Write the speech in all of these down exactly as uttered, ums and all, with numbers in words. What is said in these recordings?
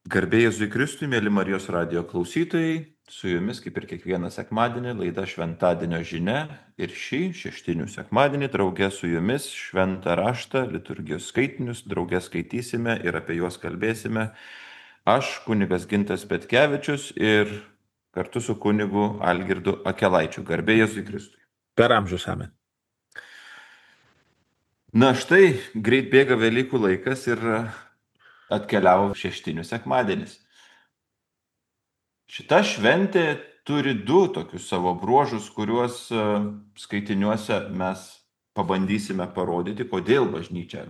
Garbė Jėzui Kristui, mėly Marijos radijo klausytojai, su jumis kaip ir kiekvieną sekmadienį laida Šventadienio žinia ir šį šeštinių sekmadienį draugė su jumis šventą raštą, liturgijos skaitinius draugė skaitysime ir apie juos kalbėsime. Aš, kunigas Gintas Petkevičius ir kartu su kunigu Algirdu Akelaičiu. Garbė Jėzui Kristui. Per amžius amen. Na štai, greit bėga Velykų laikas ir atkeliavo šeštinių sekmadienis. Šita šventė turi du tokius savo bruožus, kuriuos e, skaitiniuose mes pabandysime parodyti, kodėl bažnyčia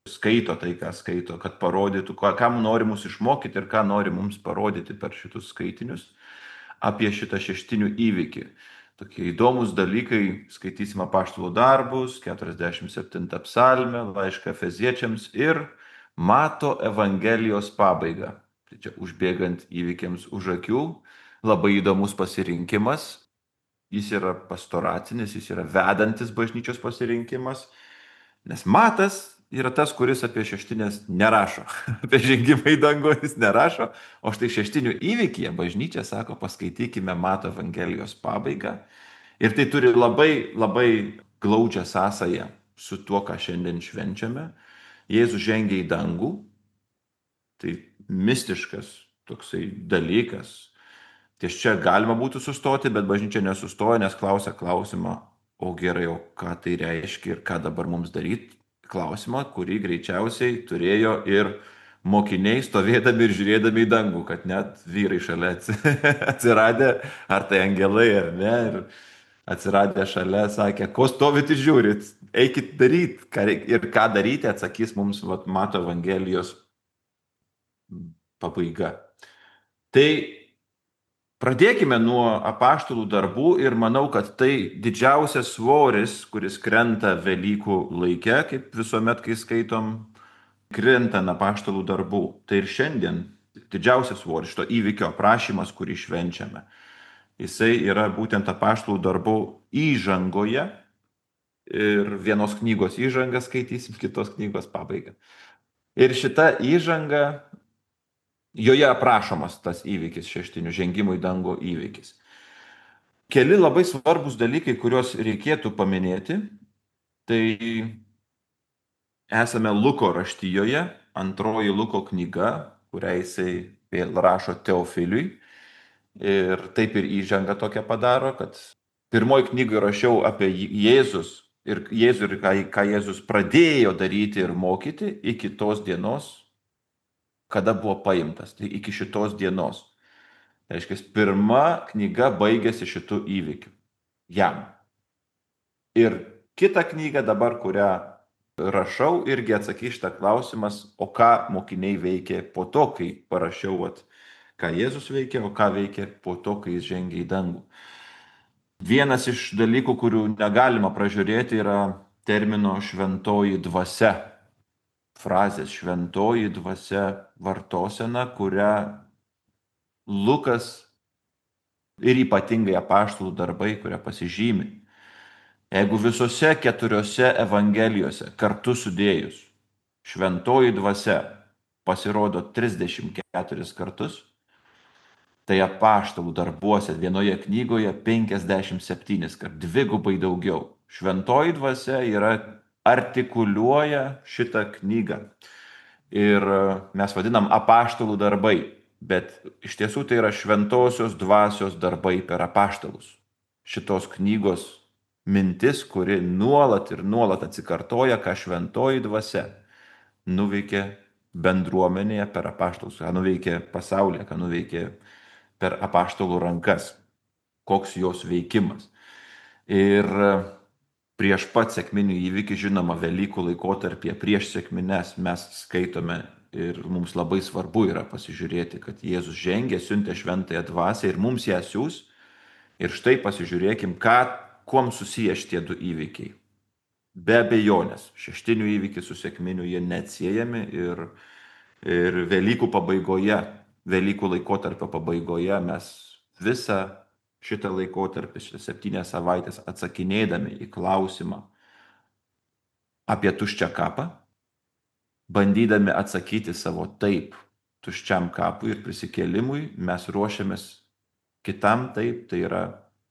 skaito tai, ką skaito, kad parodytų, ką- kam nori mus išmokyti ir ką nori mums parodyti per šitus skaitinius apie šitą šeštinių įvykį. Tokie įdomus dalykai, skaitysime apaštalų darbus, keturiasdešimt septintą psalmę, laišką Efeziečiams ir Mato Evangelijos pabaigą. Tai čia užbėgant įvykiams už akių, labai įdomus pasirinkimas. Jis yra pastoracinis, jis yra vedantis bažnyčios pasirinkimas, nes Matas yra tas, kuris apie šeštinės nerašo. Apie žengimą į dangų jis nerašo, o štai šeštinių įvykyje bažnyčia sako, paskaitykime Mato Evangelijos pabaigą. Ir tai turi labai, labai glaudžią sąsają su tuo, ką šiandien švenčiame. Jėzus žengia į dangų, tai mistiškas toksai dalykas. Ties čia galima būtų sustoti, bet bažnyčia nesustoja, nes klausia klausimą, o gerai, o ką tai reiškia ir ką dabar mums daryti. Klausimą, kurį greičiausiai turėjo ir mokiniai stovėdami ir žiūrėdami į dangų, kad net vyrai šalia atsiradę, ar tai angelai, ar ne, ir atsiradę šalia sakė, ko stovit ir žiūrit, eikit daryti. Ir ką daryti, atsakys mums vat, Mato Evangelijos pabaiga. Tai pradėkime nuo apaštalų darbų ir manau, kad tai didžiausias svoris, kuris krenta Velykų laike, kaip visuomet, kai skaitom, krenta ant apaštalų darbų. Tai ir šiandien didžiausias svoris, šito įvykio aprašymas, kurį švenčiame. Jisai yra būtent apaštalų darbų įžangoje ir vienos knygos įžangą skaitysim, kitos knygos pabaigą. Ir šita įžanga, joje aprašomas tas įvykis šeštinių žengimų į dangų įvykis. Keli labai svarbus dalykai, kuriuos reikėtų paminėti, tai esame Luko raštijoje, antroji Luko knyga, kurią jisai vėl rašo Teofiliui. Ir taip ir įžanga tokia padaro, kad pirmoji knyga rašiau apie Jėzus ir Jėzų ir ką, ką Jėzus pradėjo daryti ir mokyti iki tos dienos, kada buvo paimtas, tai iki šitos dienos. Tai reiškia, pirma knyga baigėsi šitų įvykių jam. Ir kita knyga dabar, kurią rašau, irgi atsakys šitą klausimas, o ką mokiniai veikė po to, kai parašiau, vat, ką Jėzus veikė, o ką veikė po to, kai jis žengė į dangų. Vienas iš dalykų, kurių negalima pražiūrėti, yra termino šventoji dvasia. Frazės šventoji dvasia vartosena, kurią Lukas ir ypatingai apaštalų darbai, kurią pasižymi. Jeigu visose keturiose evangelijose kartu sudėjus šventoji dvasia pasirodo trisdešimt keturis kartus, tai apaštalų darbuose vienoje knygoje penkiasdešimt septynis kart, dvigubai daugiau. Šventoji dvasia yra artikuliuoja šitą knygą. Ir mes vadinam apaštalų darbai, bet iš tiesų tai yra šventosios dvasios darbai per apaštalus. Šitos knygos mintis, kuri nuolat ir nuolat atsikartoja, ką šventoji dvasia nuveikė bendruomenėje per apaštalus, ką nuveikė pasaulyje, ką nuveikė per apaštalų rankas, koks jos veikimas. Ir prieš pat sekminių įvykį, žinoma, Velykų laikotarpyje, prieš sekmines mes skaitome ir mums labai svarbu yra pasižiūrėti, kad Jėzus žengė, siuntė šventąją dvasią ir mums ją siūs. Ir štai pasižiūrėkim, ką, kuom susiję šitie du įvykiai. Be abejonės, šeštinių įvykiai su sekminiu jie neatsiejami ir, ir Velykų pabaigoje, Velykų laikotarpio pabaigoje mes visą šitą laikotarpį, šitą septynias savaitės atsakinėdami į klausimą apie tuščią kapą, bandydami atsakyti savo taip, tuščiam kapui ir prisikėlimui, mes ruošiamės kitam taip, tai yra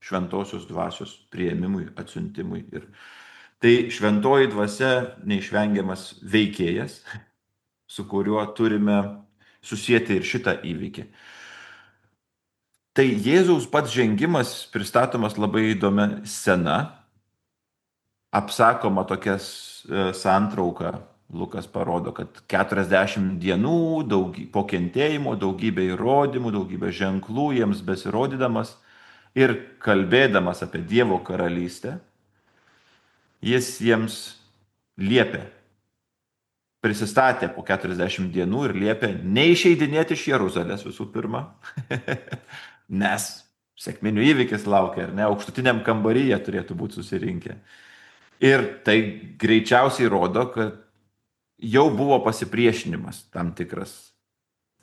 šventosios dvasios prieimimui, atsiuntimui. Ir tai šventoji dvasia neišvengiamas veikėjas, su kuriuo turime susijęti ir šitą įvykį. Tai Jėzaus pats žengimas pristatomas labai įdomia scena, apsakoma tokias santrauka. Lukas parodo, kad keturiasdešimt dienų daug, po kentėjimo, daugybė įrodymų, daugybė ženklų jiems besirodydamas ir kalbėdamas apie Dievo karalystę, jis jiems liepė, prisistatė po keturiasdešimt dienų ir liepė neišeidinėti iš Jeruzalės visų pirma, nes sekminių įvykis laukia, ar ne, aukštutiniam kambaryje turėtų būti susirinkę. Ir tai greičiausiai rodo, kad jau buvo pasipriešinimas tam tikras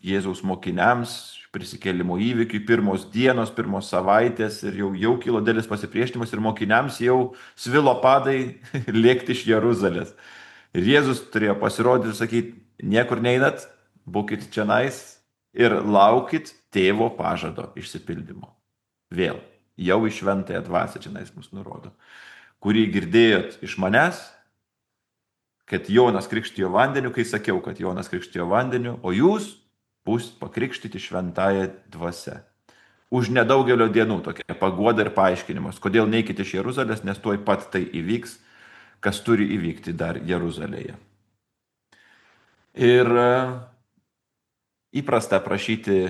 Jėzaus mokiniams, prisikėlimo įvykiui, pirmos dienos, pirmos savaitės ir jau, jau kilo dėlis pasipriešinimas ir mokiniams jau svilo padai lėkti iš Jeruzalės. Ir Jėzus turėjo pasirodyti ir sakyti, niekur neinat, būkit čionais ir laukit tėvo pažado išsipildymo. Vėl, jau į šventąją dvasią čionais mus nurodo, kurį girdėjot iš manęs, kad Jonas krikštijo vandeniu, kai sakiau, kad Jonas krikštijo vandeniu, o jūs būsit pakrikštyti šventąją dvasią. Už nedaugelio dienų tokia paguoda ir paaiškinimas, kodėl neikite iš Jeruzalės, nes tuoj pat tai įvyks, kas turi įvykti dar Jeruzalėje. Ir įprasta prašyti,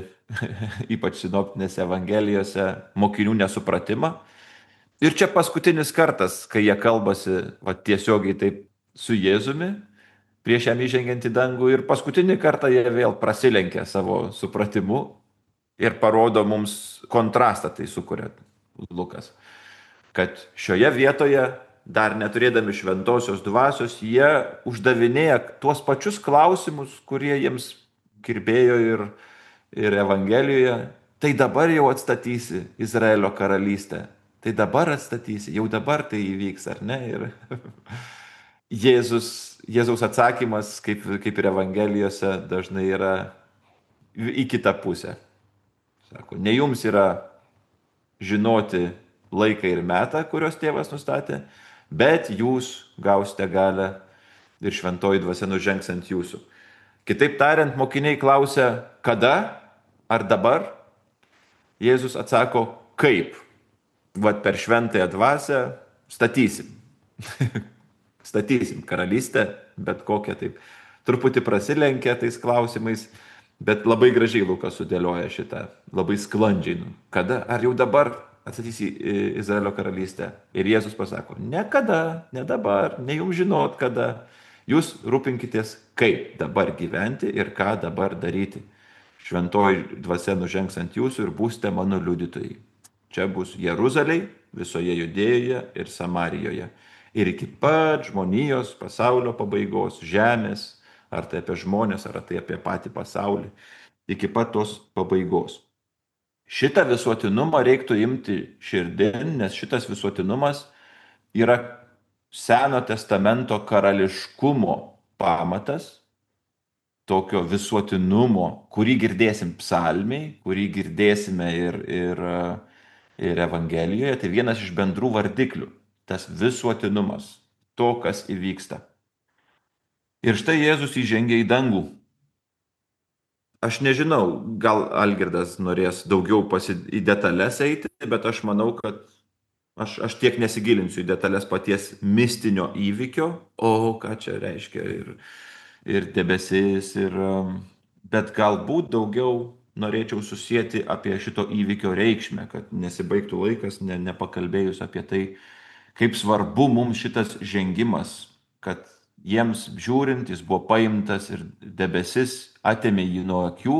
ypač sinoptinėse evangelijose, mokinių nesupratimą. Ir čia paskutinis kartas, kai jie kalbasi va, tiesiogiai taip su Jėzumi, prieš jam įžengiant į dangų, ir paskutinį kartą jie vėl prasilenkia savo supratimu ir parodo mums kontrastą, tai sukuria Lukas, kad šioje vietoje, dar neturėdami šventosios dvasios, jie uždavinėja tuos pačius klausimus, kurie jiems kirbėjo ir, ir Evangelijoje. Tai dabar jau atstatysi Izraelio karalystę, tai dabar atstatysi, jau dabar tai įvyks, ar ne? Ir Jėzus, Jėzaus atsakymas, kaip, kaip ir Evangelijose, dažnai yra į kitą pusę. Sako, ne jums yra žinoti laiką ir metą, kurios tėvas nustatė, bet jūs gausite galę ir šventoji dvasia nužengs ant jūsų. Kitaip tariant, mokiniai klausia, kada ar dabar? Jėzus atsako, kaip? Vat per šventąją dvasią statysim. Statysim karalystę, bet kokią taip. Truputį prasilenkia tais klausimais, bet labai gražiai Lukas sudėlioja šitą, labai sklandžiai. Kada, ar jau dabar atstatysi Izraelio karalystę? Ir Jėzus pasako, ne kada, ne dabar, ne jums žinot kada. Jūs rūpinkitės, kaip dabar gyventi ir ką dabar daryti. Šventoji dvasia nužengs ant jūsų ir būsite mano liudytojai. Čia bus Jeruzalėj, visoje Judėjoje ir Samarijoje. Ir iki pat žmonijos pasaulio pabaigos, žemės, ar tai apie žmonės, ar tai apie patį pasaulį, iki pat tos pabaigos. Šitą visuotinumą reiktų imti širdin, nes šitas visuotinumas yra Seno testamento karališkumo pamatas, tokio visuotinumo, kurį girdėsim psalmiai, kurį girdėsime ir, ir, ir Evangelijoje, tai vienas iš bendrų vardiklių. Tas visuotinumas, to, kas įvyksta. Ir štai Jėzus įžengia į dangų. Aš nežinau, gal Algirdas norės daugiau pasi... į detalės eiti, bet aš manau, kad aš, aš tiek nesigilinsiu į detalės paties mistinio įvykio, o ką čia reiškia ir, ir debesis, ir, bet galbūt daugiau norėčiau susijęti apie šito įvykio reikšmę, kad nesibaigtų laikas, ne, nepakalbėjus apie tai, kaip svarbu mums šitas žengimas, kad jiems žiūrint, jis buvo paimtas ir debesis atėmė jį nuo akių,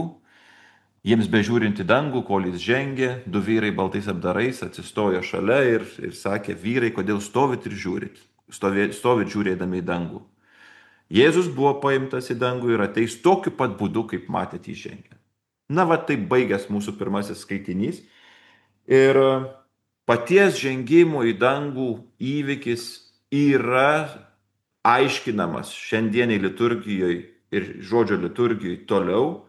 jiems bežiūrint į dangų, kol jis žengė, du vyrai baltais apdarais atsistojo šalia ir, ir sakė, vyrai, kodėl stovit ir žiūrit, stovit, stovit žiūrėdami į dangų. Jėzus buvo paimtas į dangų ir ateis tokiu pat būdu, kaip matėte įžengę. Na, va, taip baigęs mūsų pirmasis skaitinys. Ir paties žengimo į dangų įvykis yra aiškinamas šiandieniai liturgijoje ir žodžio liturgijoje toliau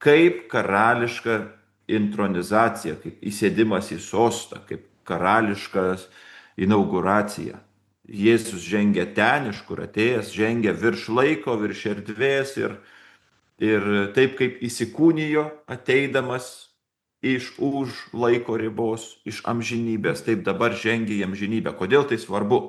kaip karališka intronizacija, kaip įsėdimas į sostą, kaip karališkas inauguracija. Jėzus žengia ten, iš kur atėjęs, žengia virš laiko, virš erdvės ir, ir taip kaip įsikūnijo ateidamas iš už laiko ribos, iš amžinybės, taip dabar žengia į amžinybę. Kodėl tai svarbu?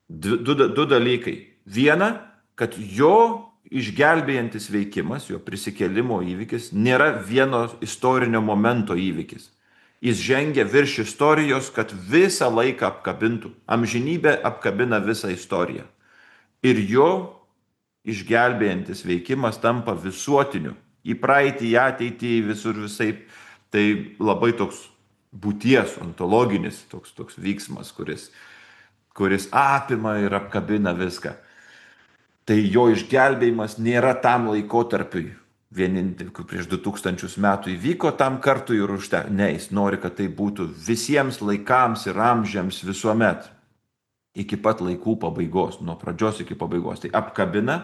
Du, du, du dalykai. Viena, kad jo išgelbėjantis veikimas, jo prisikėlimo įvykis, nėra vieno istorinio momento įvykis. Jis žengia virš istorijos, kad visą laiką apkabintų. Amžinybė apkabina visą istoriją. Ir jo išgelbėjantis veikimas tampa visuotiniu. Į praeitį, į ateitį, visur visaip. Tai labai toks būties, ontologinis toks, toks vyksmas, kuris, kuris apima ir apkabina viską. Tai jo išgelbėjimas nėra tam laikotarpiui. Vienintelį, prieš du tūkstančius metų įvyko tam kartui ir užte. Ne, jis nori, kad tai būtų visiems laikams ir amžiams visuomet. Iki pat laikų pabaigos, nuo pradžios iki pabaigos. Tai apkabina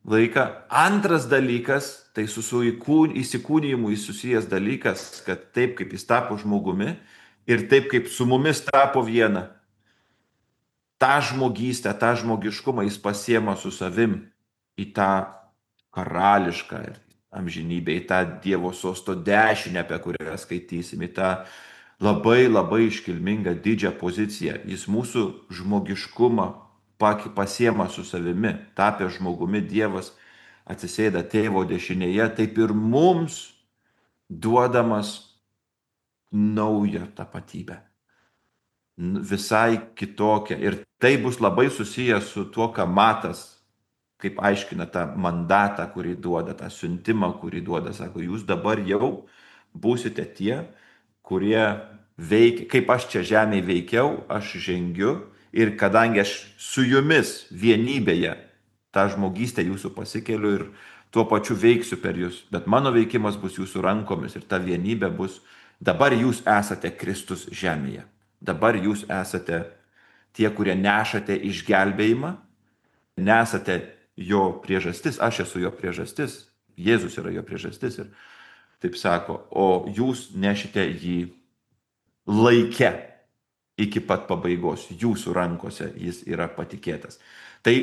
laiką. Antras dalykas, tai su, su įsikūnijimu susijęs dalykas, kad taip kaip jis tapo žmogumi ir taip kaip su mumis tapo viena. tą žmogystę, tą žmogiškumą jis pasiema su savim į tą karališką amžinybę, į tą Dievo sosto dešinę, apie kurią skaitysim, į tą labai labai iškilmingą didžią poziciją. Jis mūsų žmogiškumą pasiema su savimi, tapęs žmogumi, Dievas atsisėda tėvo dešinėje, taip ir mums duodamas naują tapatybę. Visai kitokia. Ir tai bus labai susijęs su tuo, ką Matas, kaip aiškina tą mandatą, kurį duoda, tą siuntimą, kurį duoda. Sako, jūs dabar jau būsite tie, kurie veikia, kaip aš čia žemėje veikiau, aš žengiu ir kadangi aš su jumis vienybėje tą žmogystę jūsų pasikeliu ir tuo pačiu veiksiu per jūs, bet mano veikimas bus jūsų rankomis ir ta vienybė bus, dabar jūs esate Kristus žemėje. Dabar jūs esate tie, kurie nešate išgelbėjimą, nesate jo priežastis, aš esu jo priežastis, Jėzus yra jo priežastis ir taip sako, o jūs nešite jį laike iki pat pabaigos, jūsų rankose jis yra patikėtas. Tai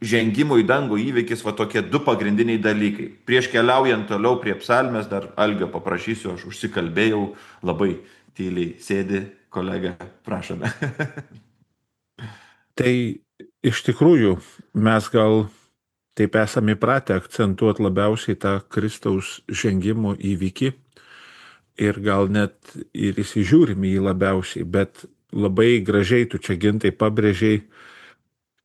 žengimo į dangų įvykis va tokie du pagrindiniai dalykai. Prieš keliaujant toliau prie psalmės, dar Algio paprašysiu, aš užsikalbėjau, labai tyliai sėdi kolega, prašome. Tai iš tikrųjų mes gal taip esame įpratę akcentuoti labiausiai tą Kristaus žengimo įvykį ir gal net ir įsižiūrim į jį labiausiai, bet labai gražiai tu čia Gintai pabrėžiai,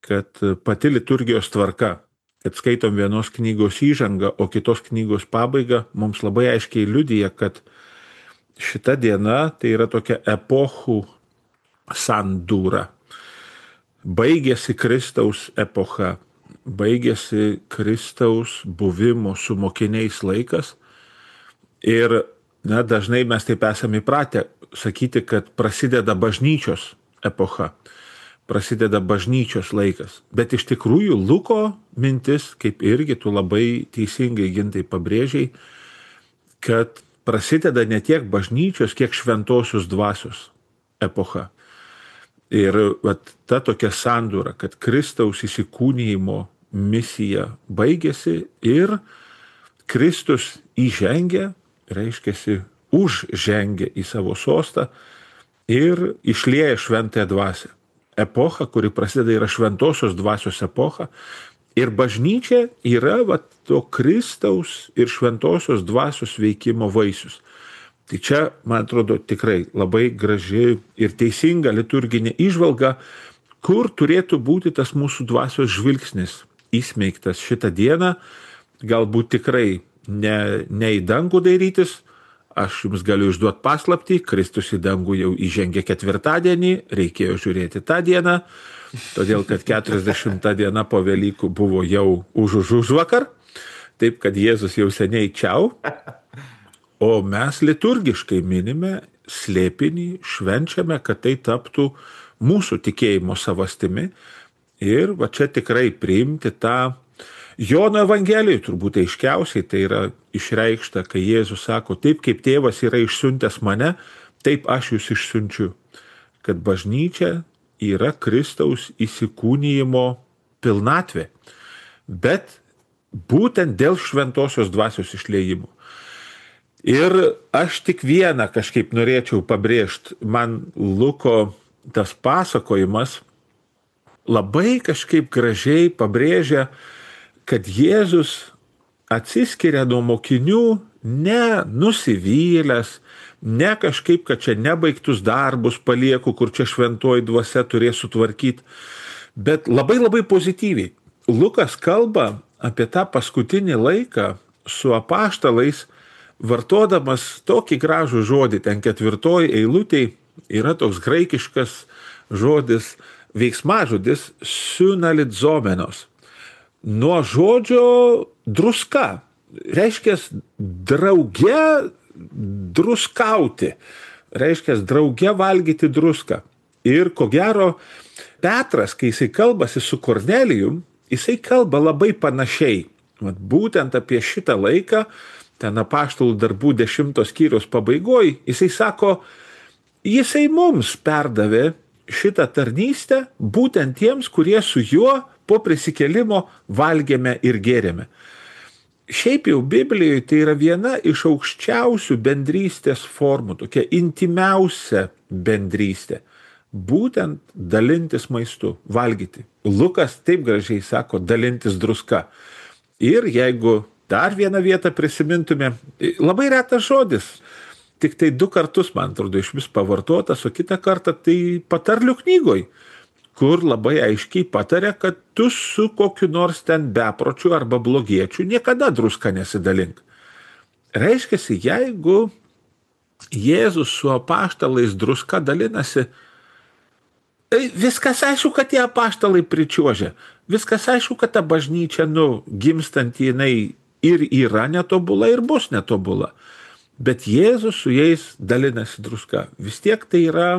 kad pati liturgijos tvarka, kad skaitom vienos knygos įžangą, o kitos knygos pabaigą, mums labai aiškiai liudija, kad šita diena tai yra tokia epochų sandūra. Baigėsi Kristaus epocha, baigėsi Kristaus buvimo su mokiniais laikas ir na, dažnai mes taip esame įpratę sakyti, kad prasideda bažnyčios epocha, prasideda bažnyčios laikas. Bet iš tikrųjų Luko mintis, kaip irgi tu labai teisingai Gintai pabrėžiai, kad prasideda ne tiek bažnyčios, kiek šventosios dvasios epocha. Ir vat, ta tokia sandūra, kad Kristaus įsikūnijimo misija baigėsi ir Kristus įžengia, reiškiasi užžengia į savo sostą ir išlieja šventąją dvasią. Epocha, kuri prasideda, yra šventosios dvasios epocha ir bažnyčia yra vat, to Kristaus ir šventosios dvasios veikimo vaisius. Tai čia, man atrodo, tikrai labai graži ir teisinga liturginė įžvalga, kur turėtų būti tas mūsų dvasios žvilgsnis įsmeigtas šitą dieną, galbūt tikrai ne, ne į dangų dairytis. Aš jums galiu išduoti paslaptį, Kristus į dangų jau įžengė ketvirtadienį, reikėjo žiūrėti tą dieną, todėl kad keturiasdešimta diena po Velykų buvo jau už už už vakar, taip kad Jėzus jau seniai čiau, o mes liturgiškai minime slėpinį, švenčiame, kad tai taptų mūsų tikėjimo savastimi ir va čia tikrai priimti tą Jono Evangelijoje turbūt aiškiausiai tai yra išreikšta, kai Jėzus sako, taip kaip tėvas yra išsiuntęs mane, taip aš jūs išsiunčiu. Kad bažnyčia yra Kristaus įsikūnijimo pilnatvė. Bet būtent dėl šventosios dvasios išliejimo. Ir aš tik vieną kažkaip norėčiau pabrėžti. Man Luko tas pasakojimas labai kažkaip gražiai pabrėžia, kad Jėzus atsiskiria nuo mokinių ne nusivylęs, ne kažkaip, kad čia nebaigtus darbus palieku, kur čia šventoji dvasia turės sutvarkyti, bet labai labai pozityviai. Lukas kalba apie tą paskutinį laiką su apaštalais, vartodamas tokį gražų žodį, ten ketvirtoj eilutėj yra toks graikiškas žodis, veiksmažodis sunalitzomenos. Nuo žodžio druska, reiškia drauge druskauti, reiškia drauge valgyti druską. Ir ko gero, Petras, kai jisai kalbasi su Kornelijum, jisai kalba labai panašiai. Vat būtent apie šitą laiką, ten apaštalų darbų dešimtos skyriaus pabaigoj, jisai sako, jisai mums perdavė šitą tarnystę būtent tiems, kurie su juo po prisikėlimo valgėme ir gėrėme. Šiaip jau Biblijoje tai yra viena iš aukščiausių bendrystės formų, tokia intimiausia bendrystė. Būtent dalintis maistu, valgyti. Lukas taip gražiai sako, dalintis druska. Ir jeigu dar vieną vietą prisimintume, labai retas žodis, tik tai du kartus, man atrodo, iš vis pavartotas, o kitą kartą tai patarlių knygoj, kur labai aiškiai patarė, kad tu su kokiu nors ten bepročiu arba blogiečiu niekada druska nesidalink. Reiškiasi, jeigu Jėzus su apaštalais druska dalinasi, viskas aišku, kad tie apaštalai pričiuožia. Viskas aišku, kad ta bažnyčia, nu, gimstant jinai ir yra netobula, ir bus netobula. Bet Jėzus su jais dalinasi druska. Vis tiek tai yra,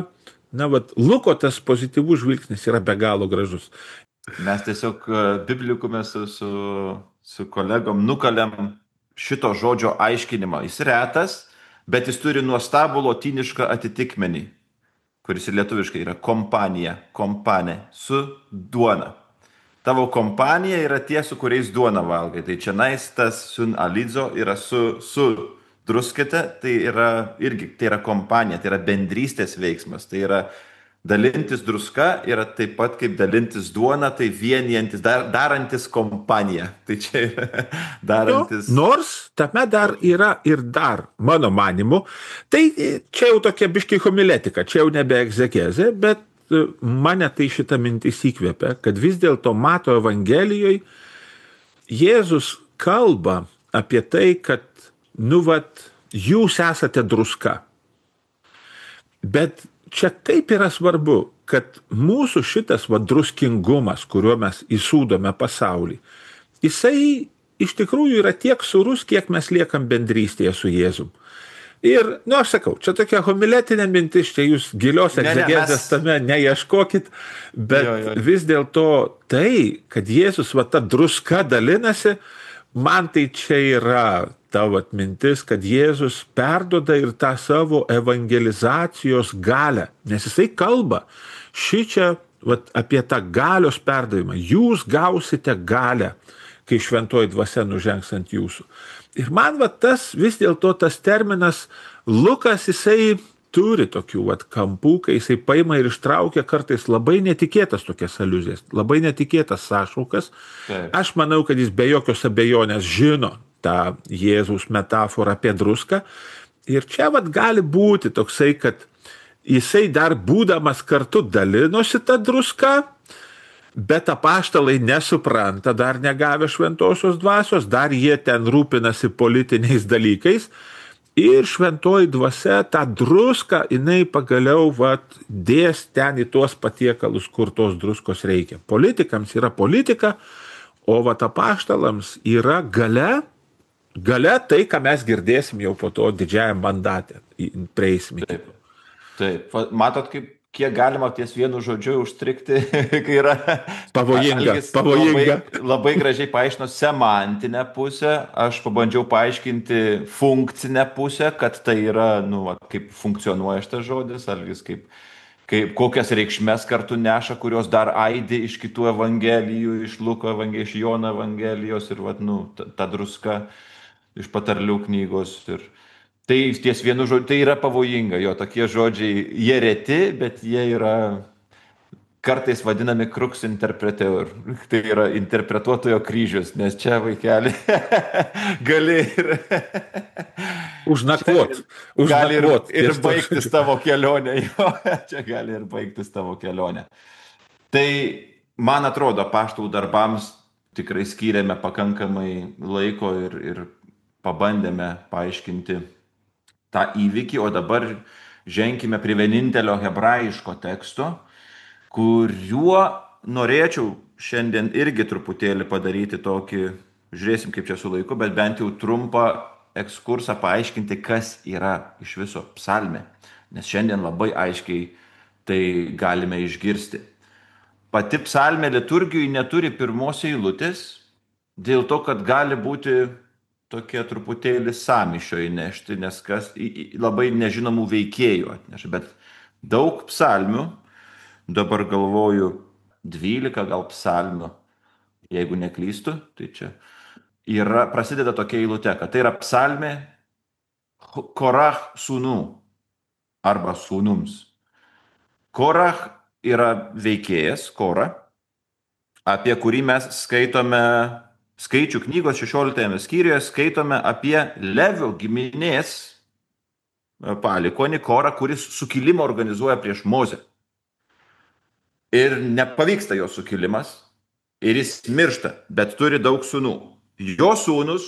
na, vat, Luko tas pozityvus žvilgsnis yra be galo gražus. Mes tiesiog biblikume su, su, su kolegom nukalėm šito žodžio aiškinimą. Jis retas, bet jis turi nuostabų lotynišką atitikmenį, kuris ir lietuviškai yra kompanija, kompanė, su duona. Tavo kompanija yra tie, su kuriais duona valgai. Tai čia nais tas sun alidzo yra su, su druskite, tai yra irgi, tai yra kompanija, tai yra bendrystės veiksmas. Tai yra dalintis druska, yra taip pat kaip dalintis duona, tai vienijantis, dar, darantis kompaniją. Tai čia yra darantis. Nu, nors tame dar yra ir dar, mano manimu, tai čia jau tokia biški homiletika, čia jau nebe egzegezė, bet mane tai šitą mintis įkvėpia, kad vis dėlto Mato Evangelijoje Jėzus kalba apie tai, kad, nu, vat, jūs esate druska. Bet čia kaip yra svarbu, kad mūsų šitas va, druskingumas, kuriuo mes įsūdome pasaulį, jisai iš tikrųjų yra tiek surus, kiek mes liekam bendrystėje su Jėzum. Ir, nu, aš sakau, čia tokia homiletinė mintis, čia jūs gilios egzegezės mes... tame neieškokit, bet jo, jo. Vis dėlto tai, kad Jėzus va ta druska dalinasi, man tai čia yra tavo atmintis, kad Jėzus perduoda ir tą savo evangelizacijos galią, nes jisai kalba šičia vat, apie tą galios perdavimą. Jūs gausite galę, kai šventoji dvasia nužengs ant jūsų. Ir man vat, tas vis dėlto tas terminas Lukas, jisai turi tokių vat, kampų, kai jisai paima ir ištraukia kartais labai netikėtas tokias aliuzijas, labai netikėtas sąšaukas. Taip. Aš manau, kad jis be jokios abejonės žino tą Jėzaus metaforą apie druską. Ir čia vat, gali būti toksai, kad jisai dar būdamas kartu dalinosi tą druską, bet apaštalai nesupranta, dar negavę šventosios dvasios, dar jie ten rūpinasi politiniais dalykais. Ir šventoji dvasia tą druską, jinai pagaliau vat, dės ten į tuos patiekalus, kur tos druskos reikia. Politikams yra politika, o vat apaštalams yra galia, galia tai, ką mes girdėsim jau po to didžiajam mandate, prieisim. Taip, taip. Matot, kaip, kiek galima ties vienu žodžiu užstrikti, kai yra Pavojinga, Algis labai, pavojinga. labai gražiai paaiškino semantinę pusę, aš pabandžiau paaiškinti funkcinę pusę, kad tai yra, nu, va, kaip funkcionuoja šitas žodis, Algis kaip, kaip kokias reikšmes kartu neša, kurios dar aidi iš kitų evangelijų, iš Luko evangelijos, iš Jono evangelijos ir, va, nu, ta, ta druska iš patarlių knygos. Ir tai ties vienu žodžiu, tai yra pavojinga, jo tokie žodžiai, jie reti, bet jie yra kartais vadinami crux interpreteur. Tai yra interpretuotojo kryžius, nes čia, vaikeli, gali ir... Užnakvot. Gali ir, Užnakvot. ir ties to baigtis žodžiu. tavo kelionė. Jo, čia gali ir baigtis tavo kelionė. Tai, man atrodo, apaštalų darbams tikrai skyrėme pakankamai laiko ir, ir pabandėme paaiškinti tą įvykį, o dabar ženkime prie vienintelio hebrajiško teksto, kuriuo norėčiau šiandien irgi truputėlį padaryti tokį, žiūrėsim kaip čia su laiku, bet bent jau trumpą ekskursą paaiškinti, kas yra iš viso psalmė, nes šiandien labai aiškiai tai galime išgirsti. Pati psalmė liturgijai neturi pirmos eilutės, dėl to, kad gali būti tokie truputėlį sąmyšio įnešti, nes kas į- į- labai nežinomų veikėjų atneša, bet daug psalmių, dabar galvoju, dvylika gal psalmių, jeigu neklystu, tai čia yra, prasideda tokia eilutė, kad tai yra psalmė Korach sūnų arba sūnums. Korach yra veikėjas, Kora, apie kurį mes skaitome Skaičių knygos šešioliktajame skyriuje, skaitome apie Levio giminės palikonį Korą, kuris sukilimą organizuoja prieš Mozę. Ir nepavyksta jo sukilimas, ir jis miršta, bet turi daug sūnų. Jo sūnus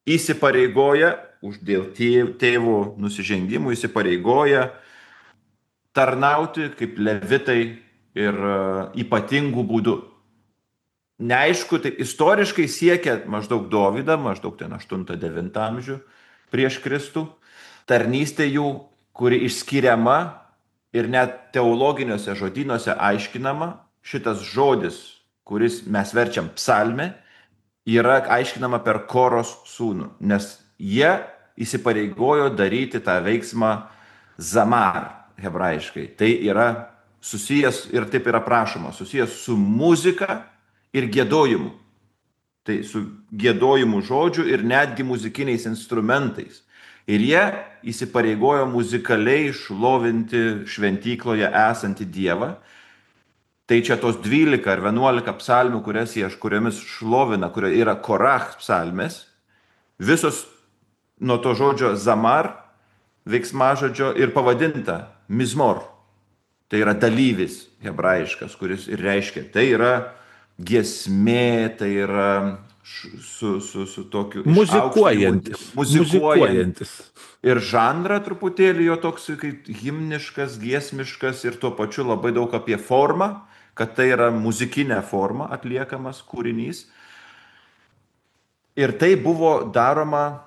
įsipareigoja, už dėl tėv- tėvo nusižengimų įsipareigoja tarnauti kaip levitai ir e, ypatingų būdų. Neaišku, tai istoriškai siekia maždaug Dovydą, maždaug ten aštuntą devintą amžių prieš Kristų. Tarnystė jų, kuri išskiriama ir net teologiniuose žodynuose aiškinama, šitas žodis, kuris mes verčiam psalmė, yra aiškinama per Koros sūnų, nes jie įsipareigojo daryti tą veiksmą zamar hebrajiškai. Tai yra susijęs, ir taip yra prašoma, susijęs su muzika ir giedojimu. Tai su giedojimu žodžiu ir netgi muzikiniais instrumentais. Ir jie įsipareigojo muzikaliai šlovinti šventykloje esantį Dievą. Tai čia tos dvylika ar vienuolika psalmių, kurias jie, kuriomis šlovina, kurie yra Korach psalmės, visos nuo to žodžio zamar, veiksmažodžio ir pavadinta mizmor. Tai yra dalyvis hebrajiškas, kuris ir reiškia. Tai yra giesmė, tai yra š- su, su, su tokiu Muzikuojantis. išaukštinimu, muzikuojant. Muzikuojantis. Ir žanrą truputėlį jo toks kaip himniškas, giesmiškas ir tuo pačiu labai daug apie formą, kad tai yra muzikinė forma atliekamas kūrinys. Ir tai buvo daroma,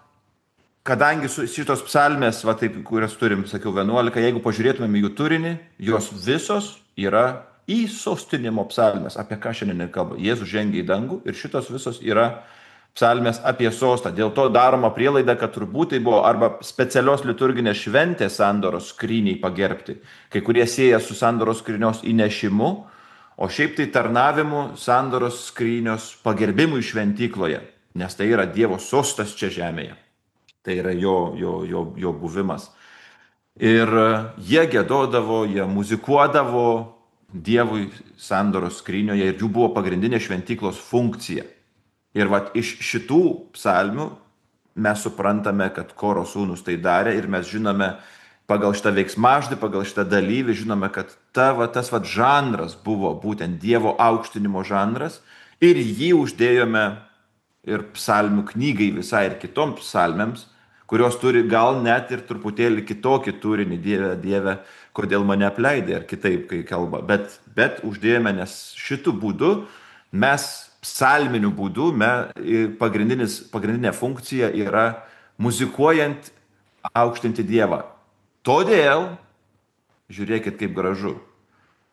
kadangi su- šitos psalmės, va taip, kurias turim, sakiau, vienuolika, jeigu pažiūrėtumėm į jų turinį, jos visos yra įsostinimo psalmės, apie ką šiandien ir kalba. Jėzus žengia į dangų ir šitos visos yra psalmės apie sostą. Dėl to daroma prielaida, kad turbūt tai buvo arba specialios liturginės šventės sandoros skryniai pagerbti. Kai kurie sieja su sandoros skrynios įnešimu, o šiaip tai tarnavimu sandoros skrynios pagerbimui šventykloje, nes tai yra Dievo sostas čia žemėje. Tai yra jo, jo, jo, jo buvimas. Ir e, jie gėdodavo, jie muzikuodavo Dievui sandoros skrynioje ir jų buvo pagrindinė šventyklos funkcija. Ir vat iš šitų psalmių mes suprantame, kad Koro sūnus tai darė ir mes žinome pagal šitą veiksmažodį, pagal šitą dalyvį, žinome, kad ta, va, tas vat žanras buvo būtent Dievo aukštinimo žanras ir jį uždėjome ir psalmių knygai visai ir kitoms psalmėms, kurios turi gal net ir truputėlį kitokį turinį, Dieve, Dieve, kodėl mane apleidai, ar kitaip, kai kalba. Bet, bet uždėjome, nes šitų būdų mes psalminiu būdu, me, pagrindinis, pagrindinė funkcija yra muzikuojant aukštinti Dievą. Todėl Žiūrėkit, kaip gražu.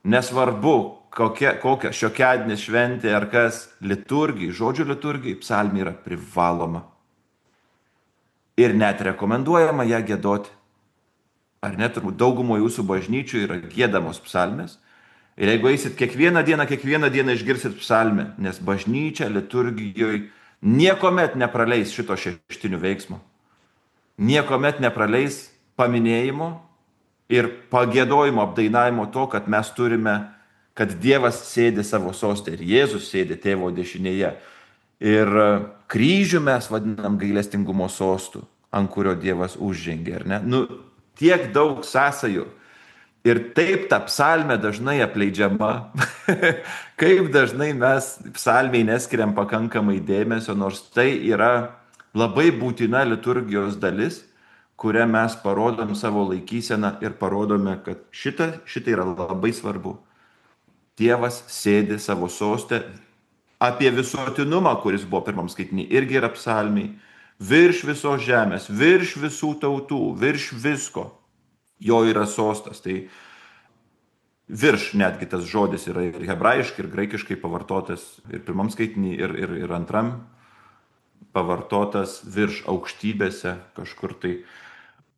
Nesvarbu, kokia, kokia šiokiadienės šventė ar kas, liturgijai, žodžio liturgijai, psalmė yra privaloma. Ir net rekomenduojama ją giedoti. Ar net turbūt daugumo jūsų bažnyčių yra giedamos psalmės. Ir jeigu eisit kiekvieną dieną, kiekvieną dieną išgirsit psalmę, nes bažnyčia liturgijoje niekuomet nepraleis šito šeštinių veiksmo. Niekuomet nepraleis paminėjimo ir pagėdojimo, apdainavimo to, kad mes turime, kad Dievas sėdi savo soste ir Jėzus sėdi tėvo dešinėje. Ir kryžių mes vadinam gailestingumo sostu, ant kurio Dievas užžengė, ar ne? Nu, tiek daug sąsajų. Ir taip ta psalmė dažnai apleidžiama. Kaip dažnai mes psalmiai neskiriam pakankamai dėmesio, nors tai yra labai būtina liturgijos dalis, kurią mes parodom savo laikyseną ir parodome, kad šita, šita yra labai svarbu. Dievas sėdi savo soste. Apie visuotinumą, kuris buvo pirmam skaitinį, irgi yra psalmiai. Virš visos žemės, virš visų tautų, virš visko. Jo yra sostas. Tai virš netgi tas žodis yra ir hebrajiškai, ir graikiškai pavartotas ir pirmam skaitinį, ir, ir, ir antram pavartotas virš aukštybėse kažkur tai.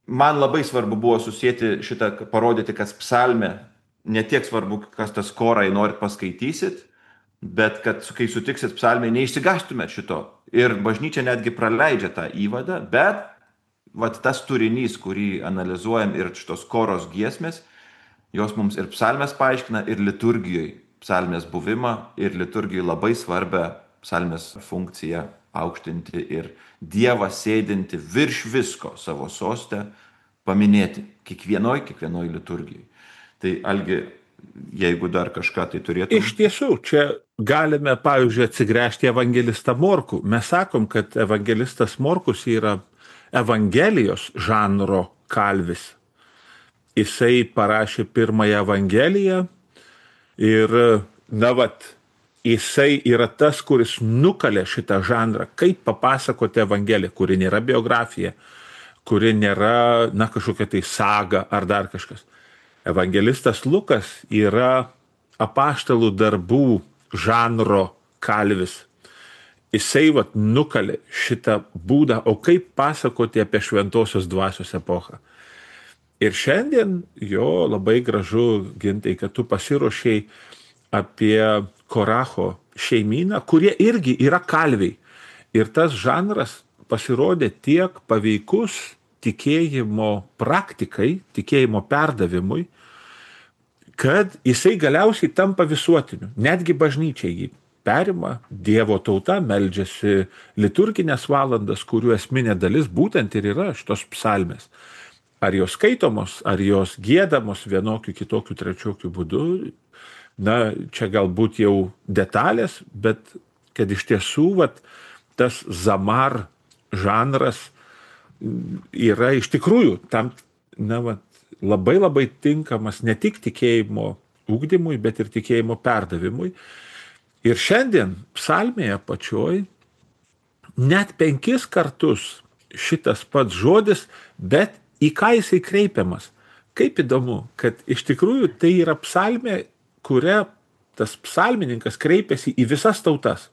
Man labai svarbu buvo susėti šitą, parodyti, kas psalmė, ne tiek svarbu, kas tas korai norit paskaitysit, bet kad kai sutiksit psalmę, neišsigastumėt šito. Ir bažnyčia netgi praleidžia tą įvadą, bet vat tas turinys, kurį analizuojam ir šitos koros giesmės, jos mums ir psalmės paaiškina, ir liturgijoje psalmės buvimą, ir liturgijoje labai svarbę psalmės funkciją aukštinti ir Dievą sėdinti virš visko savo soste paminėti kiekvienoj, kiekvienoj liturgijai. Tai Algi, jeigu dar kažką tai turėtų. Iš tiesų, čia galime, pavyzdžiui, atsigręžti evangelistą Morkų. Mes sakom, kad evangelistas Morkus yra Evangelijos žanro kalvis. Jisai parašė pirmąją Evangeliją ir, na vat, jisai yra tas, kuris nukalė šitą žanrą. Kaip papasakoti Evangeliją, kuri nėra biografija, kuri nėra, na, kažkokia tai saga ar dar kažkas. Evangelistas Lukas yra apaštalų darbų žanro kalvis. Jisai vat nukalė šitą būdą, o kaip pasakoti apie šventosios dvasios epochą. Ir šiandien jo labai gražu, Gintai, kad tu pasiruošei apie Koracho šeimyną, kurie irgi yra kalviai. Ir tas žanras pasirodė tiek paveikus tikėjimo praktikai, tikėjimo perdavimui, kad jisai galiausiai tampa visuotiniu. Netgi bažnyčiai jį perima, Dievo tauta meldžiasi liturginės valandas, kurių esminė dalis būtent ir yra šitos psalmės. Ar jos skaitomos, ar jos giedamos vienokiu, kitokiu, trečiokiu būdu, na, čia galbūt jau detalės, bet kad iš tiesų vat, tas zamar žanras yra iš tikrųjų tam, na, vat, labai labai tinkamas ne tik tikėjimo ugdymui, bet ir tikėjimo perdavimui. Ir šiandien psalmėje pačioj net penkis kartus šitas pats žodis, bet į ką jisai kreipiamas. Kaip įdomu, kad iš tikrųjų tai yra psalmė, kuria tas psalmininkas kreipiasi į visas tautas.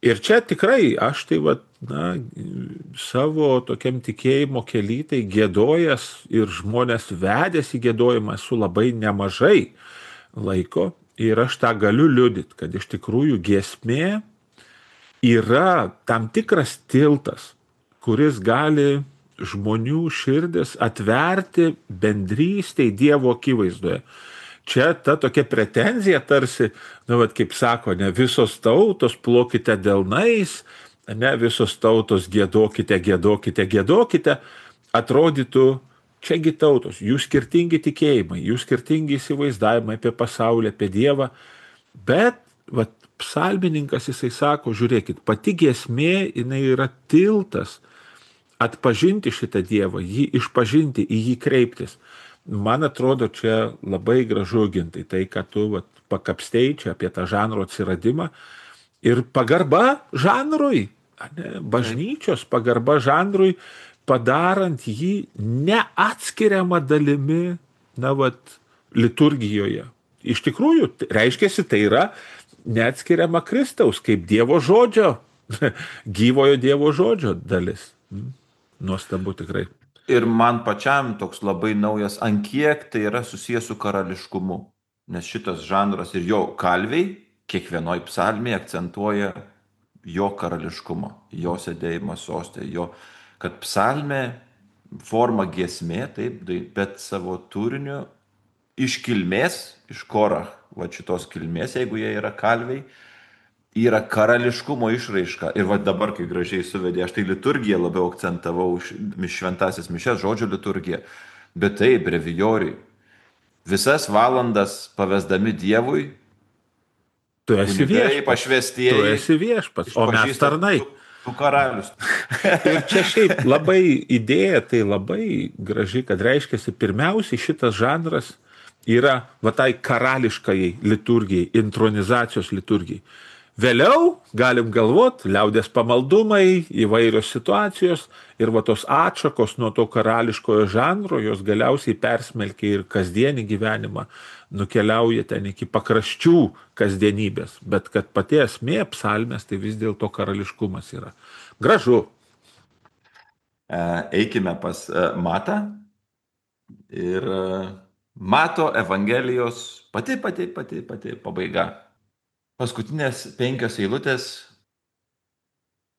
Ir čia tikrai aš tai vat, na, savo tokiam tikėjimo kely tai giedojęs ir žmonės vedęs į giedojimą esu labai nemažai laiko. Ir aš tą galiu liudyti, kad iš tikrųjų giesmė yra tam tikras tiltas, kuris gali žmonių širdis atverti bendrystei Dievo akivaizdoje. Čia ta tokia pretenzija tarsi, na, vat, kaip sako, ne visos tautos plokite delnais, ne visos tautos giedokite, giedokite, giedokite, atrodytų, čiagi tautos, jų skirtingi tikėjimai, jų skirtingi įsivaizdavimai apie pasaulį, apie Dievą, bet vat, psalmininkas jisai sako, žiūrėkit, pati giesmė jinai yra tiltas atpažinti šitą Dievą, jį išpažinti, į jį kreiptis. Man atrodo, čia labai gražu, Gintai, tai, kad tu vat, pakapstei čia apie tą žanro atsiradimą ir pagarba žanrui, ne, bažnyčios pagarba žanrui, padarant jį neatskiriamą dalimi na, vat, liturgijoje. Iš tikrųjų, reiškia, tai yra neatskiriama Kristaus kaip Dievo žodžio, gyvojo Dievo žodžio dalis. Nuostabu tikrai. Ir man pačiam toks labai naujas, ant kiek tai yra susijęs su karališkumu. Nes šitas žanras ir jo kalviai kiekvienoj psalmėje akcentuoja jo karališkumą, jo sėdėjimą sostė, jo, kad psalmė forma giesmė, taip, bet savo turiniu iš kilmės, iš Korach, va šitos kilmės, jeigu jie yra kalviai, yra karališkumo išraiška. Ir va dabar, kai gražiai suvedė, aš tai liturgiją labiau akcentavau, šventasis mišes, žodžio liturgiją, bet tai brevijoriai. Visas valandas pavesdami Dievui, tu esi viešpats. Pašvestieji, tu esi viešpats, o mes tarnai. Tu, tu karalius. Ir čia šiaip labai idėja, tai labai graži, kad reiškia, pirmiausiai šitas žanras yra va tai karališkai liturgijai, intronizacijos liturgijai. Vėliau galim galvot, liaudės pamaldumai, įvairios situacijos ir va tos atšakos nuo to karališkojo žanro, jos galiausiai persmelkia ir kasdienį gyvenimą, nukeliauja ten iki pakraščių kasdienybės, bet kad pati esmė psalmės, tai vis dėlto karališkumas yra. Gražu. Eikime pas Matą ir Mato Evangelijos pati, pati, pati, pati pabaiga. Paskutinės penkios eilutės,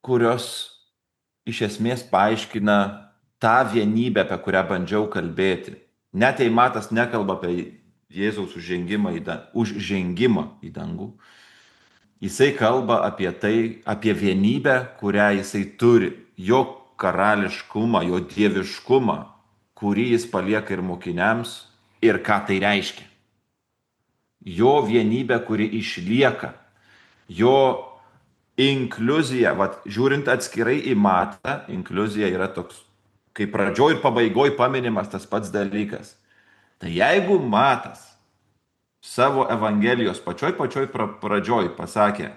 kurios iš esmės paaiškina tą vienybę, apie kurią bandžiau kalbėti. Net jei Matas nekalba apie Jėzaus užžengimą į, dangų, užžengimą į dangų, jisai kalba apie tai, apie vienybę, kurią jisai turi, jo karališkumą, jo dieviškumą, kurį jis palieka ir mokiniams ir ką tai reiškia. Jo vienybė, kuri išlieka, jo inkliuzija, vat, žiūrint atskirai į Matą, inkliuzija yra toks, kaip pradžioj ir pabaigoj paminimas tas pats dalykas. Tai jeigu Matas savo Evangelijos pačioj pačioj pradžioj pasakė,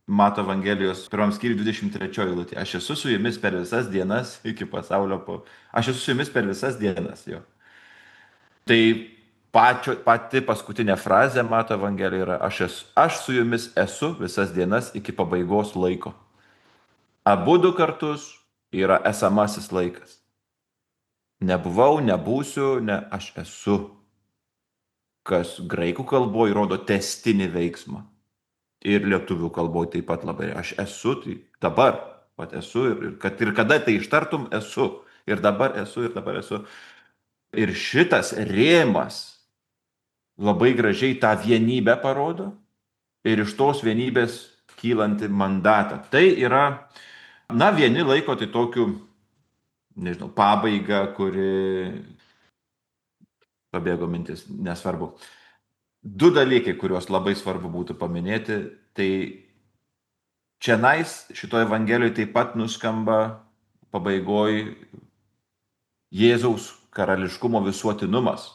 Mato Evangelijos pirmam skyriui dvidešimt trečioji eilutė, aš esu su jumis per visas dienas iki pasaulio, po... aš esu su jumis per visas dienas, jo. Tai Pačio, pati paskutinė frazė Mato Evangelijoje yra aš, esu, aš su jumis esu visas dienas iki pabaigos laiko. Abu du kartus yra esamasis laikas. Nebuvau, nebūsiu, ne aš esu. Kas graikų kalboje rodo testinį veiksmą. Ir lietuvių kalboje taip pat labai. Aš esu, tai dabar pat esu ir, ir, kad, ir kada tai ištartum esu. Ir dabar esu, ir dabar esu. Ir šitas rėmas labai gražiai tą vienybę parodo ir iš tos vienybės kylanti mandatą. Tai yra, na, vieni laiko tai tokiu, nežinau, pabaiga, kuri, pabėgo mintis, nesvarbu. Du dalykai, kuriuos labai svarbu būtų paminėti, tai čianais šitoje Evangelijoje taip pat nuskamba pabaigoj Jėzaus karališkumo visuotinumas.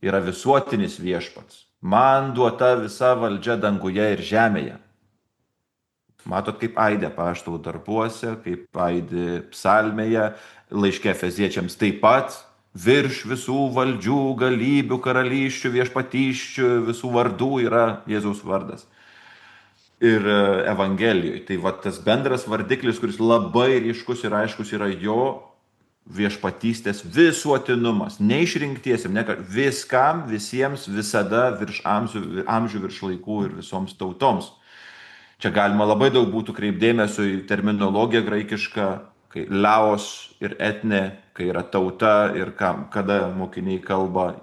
Yra visuotinis viešpats. Man duota visa valdžia danguje ir žemėje. Matot, kaip aidė apaštalų darbuose, kaip aidė psalmėje, laiške Efeziečiams taip pat, virš visų valdžių, galybių, karalysčių, viešpatyščių, visų vardų yra Jėzaus vardas. Ir Evangelijoje. Tai va tas bendras vardiklis, kuris labai ryškus ir aiškus yra jo viešpatystės visuotinumas, neišrinktiesiam, ne, viskam, visiems, visada, virš amžių, amžių, virš laikų ir visoms tautoms. Čia galima labai daug būtų kreipdėmesio į terminologiją graikišką, kai laos ir etne, kai yra tauta ir kam, kada mokiniai kalba,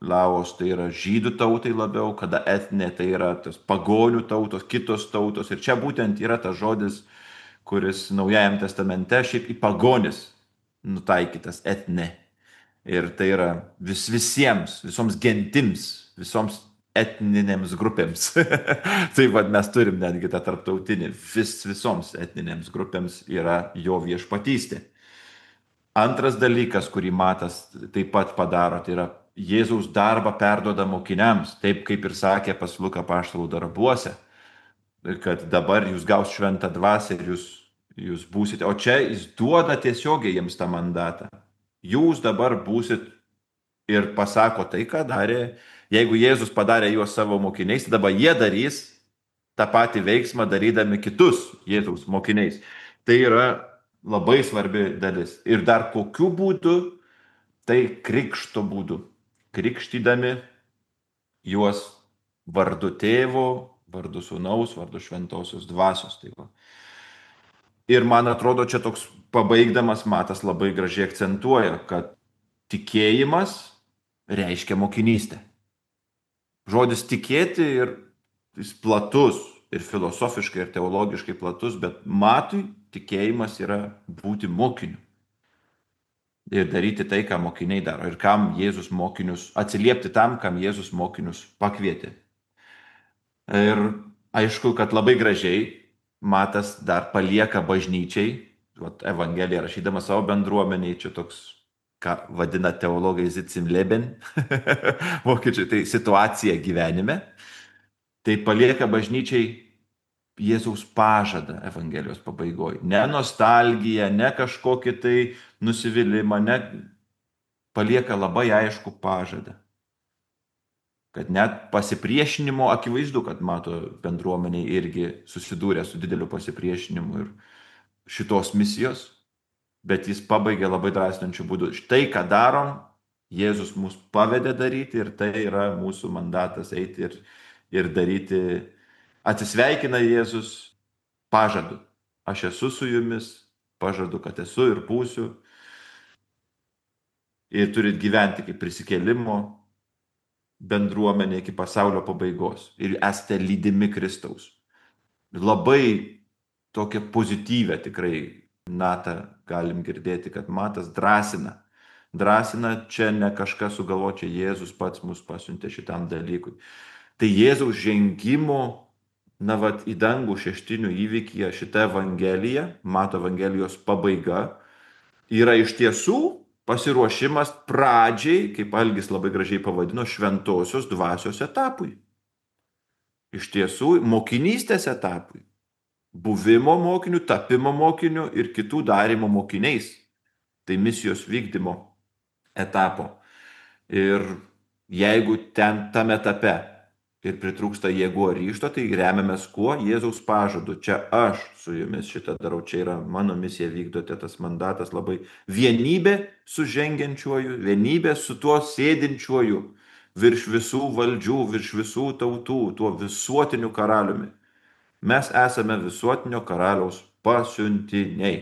laos tai yra žydų tautai labiau, kada etne tai yra tas pagonių tautos, kitos tautos. Ir čia būtent yra tas žodis, kuris Naujajam testamente šiaip į pagonis nutaikytas etne. Ir tai yra vis, visiems, visoms gentims, visoms etninėms grupėms. Tai vad mes turim netgi tą tarptautinį. Vis, visoms etninėms grupėms yra jo viešpatystė. Antras dalykas, kurį Matas taip pat padaro, tai yra Jėzaus darbą perduoda mokiniams, taip kaip ir sakė pas Luką apaštalų darbuose, kad dabar jūs gaus šventą dvasią ir jūs Jūs būsite, o čia jis duoda tiesiogiai jiems tą mandatą. Jūs dabar būsit ir pasako tai, ką darė. Jeigu Jėzus padarė juos savo mokiniais, tai dabar jie darys tą patį veiksmą, darydami kitus Jėzaus mokiniais. Tai yra labai svarbi dalis. Ir dar kokiu būdu? Tai krikšto būdu. Krikštydami juos vardu tėvo, vardu sūnaus, vardu šventosios dvasios. Tai va. Ir man atrodo, čia toks pabaigdamas Matas labai gražiai akcentuoja, kad tikėjimas reiškia mokinystę. Žodis tikėti ir jis platus, ir filosofiškai, ir teologiškai platus, bet Matui tikėjimas yra būti mokiniu. Ir daryti tai, ką mokiniai daro. Ir kam Jėzus mokinius, atsiliepti tam, kam Jėzus mokinius pakvietė. Ir aišku, kad labai gražiai Matas dar palieka bažnyčiai, vat, Evangeliją rašydama savo bendruomeniai, čia toks, ką vadina teologai Sitzen im Leben, vokiečiai, tai situacija gyvenime, tai palieka bažnyčiai Jėzaus pažadą Evangelijos pabaigoje. Ne nostalgiją, ne kažkokį tai nusivylimą, ne palieka labai aišku pažadą. Kad net pasipriešinimo akivaizdu, kad mato bendruomeniai irgi susidūrė su dideliu pasipriešinimu ir šitos misijos, bet jis pabaigė labai drąsinančiu būdu. Štai ką darom, Jėzus mus pavedė daryti ir tai yra mūsų mandatas eiti ir, ir daryti. Atsisveikina Jėzus pažadu. Aš esu su jumis, pažadu, kad esu ir būsiu. Ir turit gyventi kaip prisikėlimo bendruomenė iki pasaulio pabaigos. Ir esate lydimi Kristaus. Labai tokią pozityvę tikrai natą galim girdėti, kad Matas drąsina. Drąsina čia ne kažkas sugalvočia, Jėzus pats mus pasiuntė šitam dalykui. Tai Jėzaus žengimo na, vat, į dangų šeštinių įvykyje šitą Evangeliją, Mato Evangelijos pabaiga, yra iš tiesų pasiruošimas pradžiai, kaip Algis labai gražiai pavadino, šventosios dvasios etapui. Iš tiesų, mokinystės etapui. Buvimo mokiniu, tapimo mokiniu ir kitų darymo mokiniais. Tai misijos vykdymo etapo. Ir jeigu ten tame etape ir pritrūksta jėgų ar ryžto, tai remiamės kuo? Jėzaus pažadu. Čia aš su jumis šitą darau, čia yra mano misija, vykdote tas mandatas labai. Vienybė su žengiančiuoju, vienybė su tuo sėdinčiuoju virš visų valdžių, virš visų tautų, tuo visuotiniu karaliumi. Mes esame visuotinio karaliaus pasiuntiniai.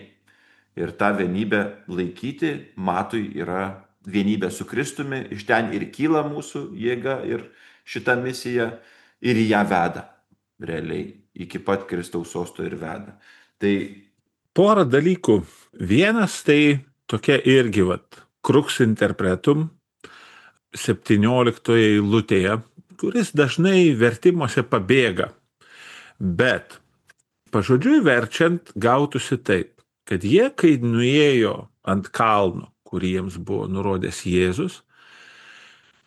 Ir tą vienybę laikyti Matui yra vienybė su Kristumi, iš ten ir kyla mūsų jėga ir šitą misiją ir ją veda. Realiai iki pat Kristaus sosto ir veda. Tai porą dalykų. Vienas tai tokia irgi, vat, crux interpretum septynioliktoje eilutėje, kuris dažnai vertimuose pabėga. Bet pažodžiui verčiant gautųsi taip, kad jie, kai nuėjo ant kalno, kurį jiems buvo nurodęs Jėzus,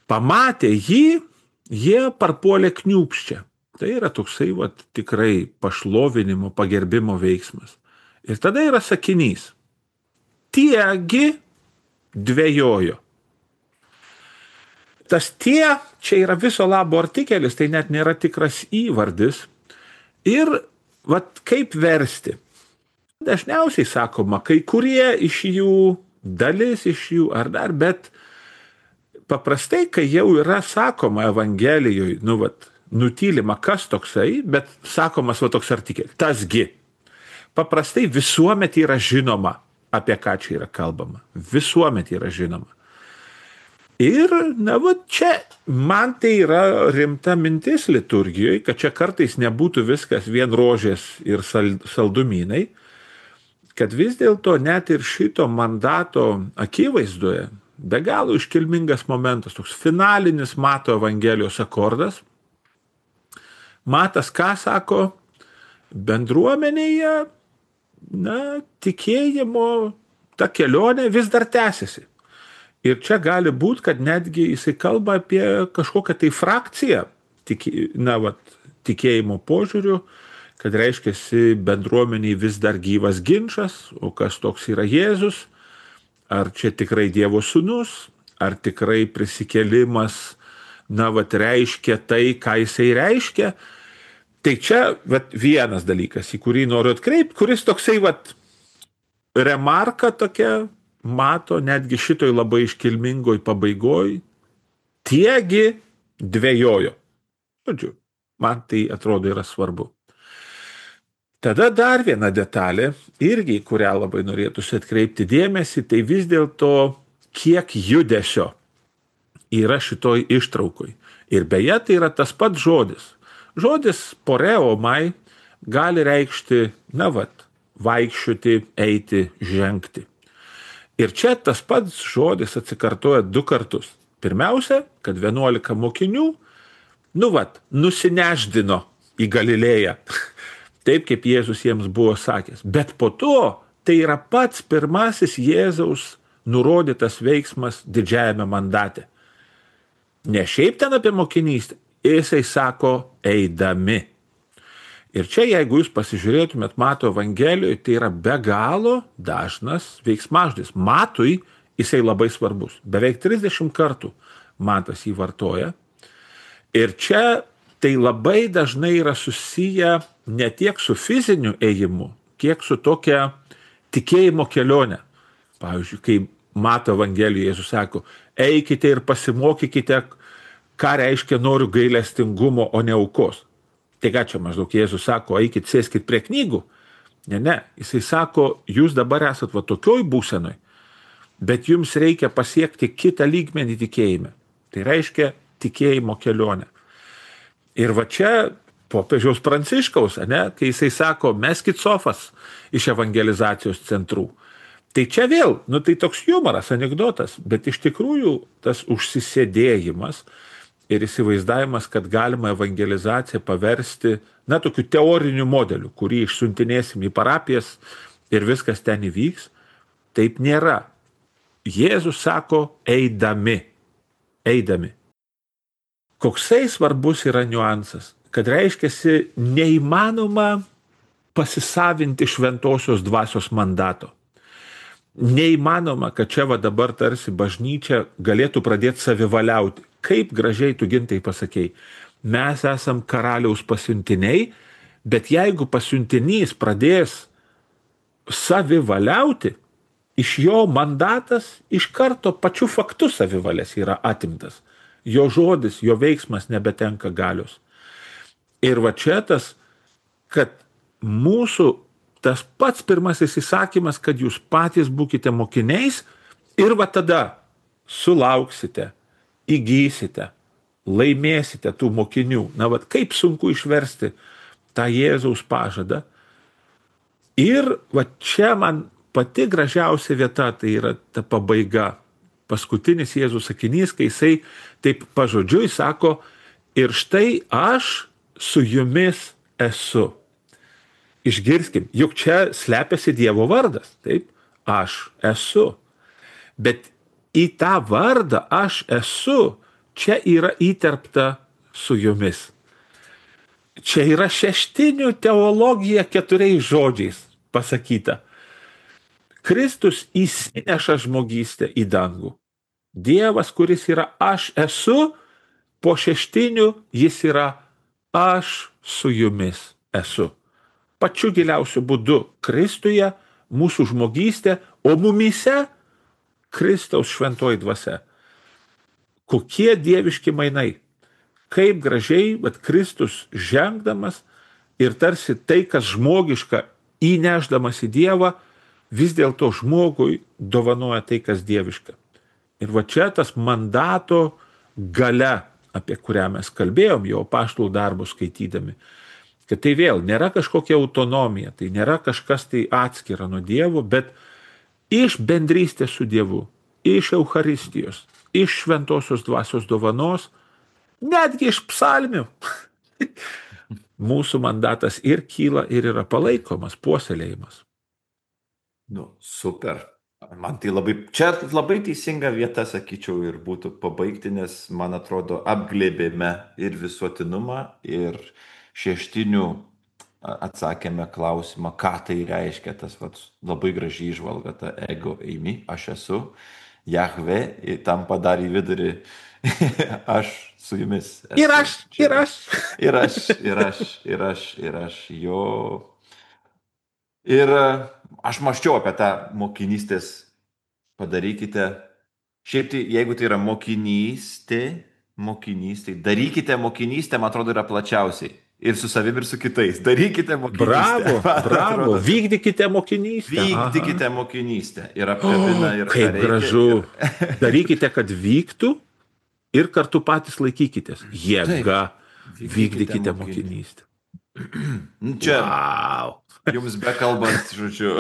pamatė jį, jie parpuolė kniūpščia. Tai yra toksai vat, tikrai pašlovinimo, pagerbimo veiksmas. Ir tada yra sakinys. Tiegi dvejojo. Tas tie, čia yra viso labo artikelis, tai net nėra tikras įvardis. Ir vat, kaip versti? Dažniausiai sakoma, kai kurie iš jų, dalis iš jų ar dar, bet paprastai, kai jau yra sakoma Evangelijoje, nu, vat, nutylima kas toksai, bet sakomas va toks artikelis, tasgi. Paprastai visuomet yra žinoma, apie ką čia yra kalbama. Visuomet yra žinoma. Ir, na, va, čia man tai yra rimta mintis liturgijoje, kad čia kartais nebūtų viskas vien rožės ir saldumynai, kad vis dėlto net ir šito mandato akivaizdoje be galo iškilmingas momentas, toks finalinis Mato Evangelijos akordas. Matas ką sako? Bendruomenėje, na, tikėjimo ta kelionė vis dar tęsiasi. Ir čia gali būti, kad netgi jisai kalba apie kažkokią tai frakciją, tiki, na, vat, tikėjimo požiūrių, kad reiškiasi bendruomeniai vis dar gyvas ginčas, o kas toks yra Jėzus, ar čia tikrai Dievo sūnus, ar tikrai prisikėlimas, na, vat, reiškia tai, ką jisai reiškia. Tai čia vat, vienas dalykas, į kurį noriu atkreipti, kuris toksai vat, remarka tokia mato netgi šitoj labai iškilmingoj pabaigoj, tiegi dvejojo. Žodžiu, man tai atrodo yra svarbu. Tada dar viena detalė, irgi, kurią labai norėtųsi atkreipti dėmesį, tai vis dėlto kiek judesio yra šitoj ištraukoj. Ir beje, tai yra tas pats žodis. Žodis poreomai gali reikšti, na vat, vaikščioti, eiti, žengti. Ir čia tas pats žodis atsikartoja du kartus. Pirmiausia, kad vienuolika mokinių, nu vat, nusineždino į Galilėją. Taip, kaip Jėzus jiems buvo sakęs. Bet po to tai yra pats pirmasis Jėzaus nurodytas veiksmas didžiajame mandate. Ne šiaip ten apie mokinystę, jisai sako eidami. Ir čia, jeigu jūs pasižiūrėtumėt Mato Evangelijoje, tai yra be galo dažnas veiksmažodis. Matui jisai labai svarbus. Beveik trisdešimt kartų Matas jį vartoja. Ir čia tai labai dažnai yra susiję ne tiek su fiziniu ėjimu, kiek su tokia tikėjimo kelionė. Pavyzdžiui, kai Mato Evangelijoje Jėzus sako, eikite ir pasimokykite, ką reiškia noriu gailestingumo, o ne aukos. Tai ką čia maždaug Jėzus sako, eikit, sėskit prie knygų. Ne, ne, jisai sako, jūs dabar esat va tokioj būsenoj, bet jums reikia pasiekti kitą lygmenį tikėjime. Tai reiškia tikėjimo kelionę. Ir va čia popiežiaus Pranciškaus, ne, kai jisai sako, meskit sofas iš evangelizacijos centrų. Tai čia vėl, nu tai toks humoras, anekdotas, bet iš tikrųjų tas užsisėdėjimas ir įsivaizdavimas, kad galima evangelizaciją paversti, na, tokiu teoriniu modeliu, kurį išsiuntinėsim į parapijas ir viskas ten įvyks, taip nėra. Jėzus sako, eidami, eidami. Koksai svarbus yra niuansas, kad reiškiasi neįmanoma pasisavinti šventosios dvasios mandato. Neįmanoma, kad čia va dabar tarsi bažnyčia galėtų pradėti savivaliauti. Kaip gražiai tu Gintai pasakei, mes esam karaliaus pasiuntiniai, bet jeigu pasiuntinys pradės savivaliauti, iš jo mandatas iš karto pačiu faktu savivalės yra atimtas. Jo žodis, jo veiksmas nebetenka galios. Ir va čia tas, kad mūsų tas pats pirmasis įsakymas, kad jūs patys būkite mokiniais ir va tada sulauksite, įgysite, laimėsite tų mokinių. Na, va kaip sunku išversti tą Jėzaus pažadą. Ir va čia man pati gražiausia vieta, tai yra ta pabaiga. Paskutinis Jėzaus sakinys, kai jisai taip pažodžiui sako, ir štai aš su jumis esu. Išgirskim, juk čia slepiasi Dievo vardas, taip, aš esu. Bet į tą vardą aš esu, čia yra įterpta su jumis. Čia yra šeštinių teologija keturiais žodžiais pasakyta. Kristus įsineša žmogystę į dangų. Dievas, kuris yra aš esu, po šeštinių jis yra aš su jumis esu. Pačiu giliausiu būdu Kristuje mūsų žmogystė, o mumyse Kristaus šventoji dvasia. Kokie dieviški mainai. Kaip gražiai, bet Kristus žengdamas ir tarsi tai, kas žmogiška, įnešdamas į Dievą, vis dėlto žmogui dovanoja tai, kas dieviška. Ir va čia tas mandato galia, apie kurią mes kalbėjom jau apaštalų darbus skaitydami, kad tai vėl nėra kažkokia autonomija, tai nėra kažkas tai atskira nuo Dievo, bet iš bendrystės su Dievu, iš Eucharistijos, iš šventosios dvasios dovanos, netgi iš psalmių. Mūsų mandatas ir kyla, ir yra palaikomas, puoselėjimas. Nu, super. Man tai labai, čia labai teisinga vieta, sakyčiau, ir būtų pabaigti, nes, man atrodo, apglėbėme ir visuotinumą, ir šeštinių atsakėme klausimą, ką tai reiškia, tas vat, labai gražiai įžvalga, ta ego eimi, aš esu. Jahve tampa dar į vidurį. Aš su jumis Ir esu aš, čia. ir aš. Ir aš, ir aš, ir aš, ir aš jo. Ir e, aš maščiau apie tą mokinystės padarykite. Šiaip tai, jeigu tai yra mokinystė, mokinystė, darykite mokinystę, man atrodo, yra plačiausiai. Ir su savimi, ir su kitais. Darykite mokinystę. Bravo, Man bravo. atrodo, taip. Vykdykite mokinystę. Aha. Vykdykite mokinystę. Ir O, apkabina, ir ką kaip reikia. gražu. Ir... Darykite, kad vyktų ir kartu patys laikykitės. Jėga. Vykdykite Vykdykite mokinystę. mokinystę. Nu, Čia Wow. jums bekalbant, žodžiu.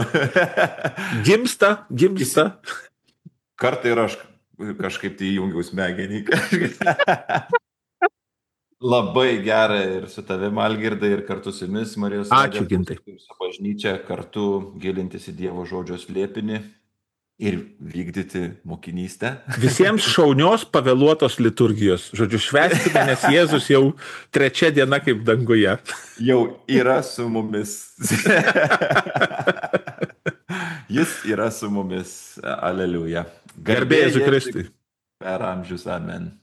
Gimsta, gimsta. Kartą ir aš kažkaip tai įjungiau smegenį. Labai gera ir su tavimi, Algirdai, ir kartu su jumis, Marijos Ačiū, radijo Gintai. klausytojai, ir su bažnyčia, kartu gilintis į Dievo žodžio slėpinį ir vykdyti mokinystę. Visiems šaunios pavėluotos liturgijos. Žodžiu, švęskime, nes Jėzus jau trečia diena kaip danguje. Jau yra su mumis. Jis yra su mumis. Aleliuja. Garbė Jėzui Kristui. Per amžius. Amen.